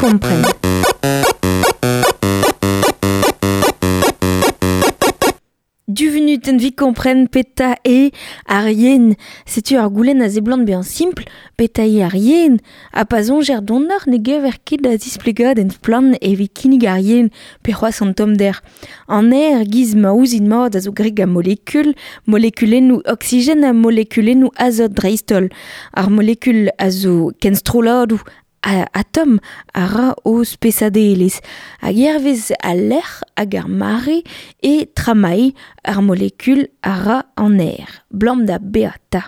kompren. Du venutenn vi kompren petra eo ar yen. Setu ar goulenn a seblant bezañ simpl, petra eo ar yen. Ha pa soñjer donoc'h ne gaver ket da zisplegadenn splann evit kinnig ar yen pe c'hoazh an tommder. An aer giz ma ouzit mat a zo graet gant molekul, molekulennoù oksigen ha molekulennoù azot dreist-holl. Ar molekul a zo kenstrolladoù atom a ra o spesadelezh. Hag hervez al lec'h hag ar mare e tramailh ar molekul a ra an aer, 'blam da beata.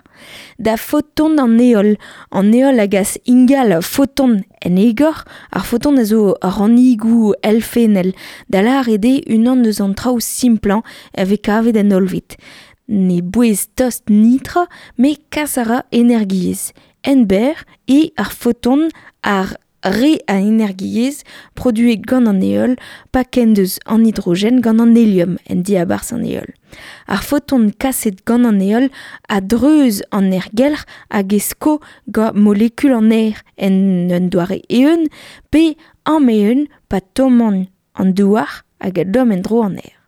Da foton an heol. An heol a gas ingal foton en egor. Ar foton a zo rannigoù elfennel, da lâret eo unan eus an traoù simplañ a vez kavet en hollved. Ne bouez tost netra, met kas a ra energiezh. Ent-berr eo ar foton ar re a energiezh produet gant an heol pa kendeuz an hidrogen gant an helium en diabarzh an heol. Ar foton kaset gant an heol a dreuz an aergelc'h hag e sko gant molekul an aer en un doare eeun pe ameeun pa tomman an douar hag a domm en-dro an aer.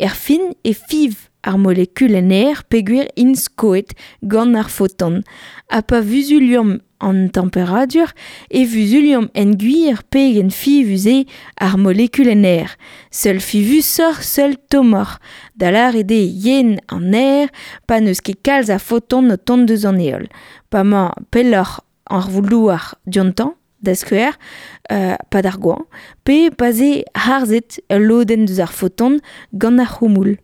Erfin e fiñv ar molekul en aer peogwir int skoet gant ar foton. Ha pa vuzuliomp an temperadur e vuzuliomp en-gwir pegen fiñvus eo ar molekul en aer. Seul fiñvusoc'h, seul tommoc'h. Da lâret eo yen an aer pa n'eus ket kalz a foton o tont deus an heol. Pa 'mañ pelloc'h ar voul-douar diontañ, da skouer, 'pad ar goañv, pe pa'z eo harzet ul lodenn deus ar foton gant ar c'houmoul.